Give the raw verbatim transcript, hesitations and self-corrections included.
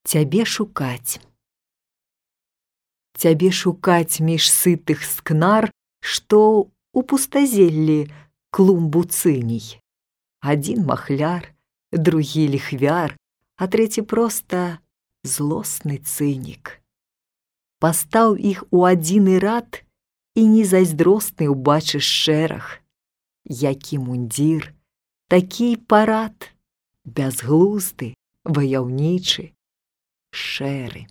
Цябе шукаць. Цябе шукаць між сытых скнар, што у пустазеллі клумбу цыній. Адзін махляр, другі ліхвяр, а трэці проста злосны цынік. Пастаў іх у адзіны рад, і незайздросны ўбачыш шэраг. Які мундзір, такі парад, бязглузды, ваяўнічы, шэры.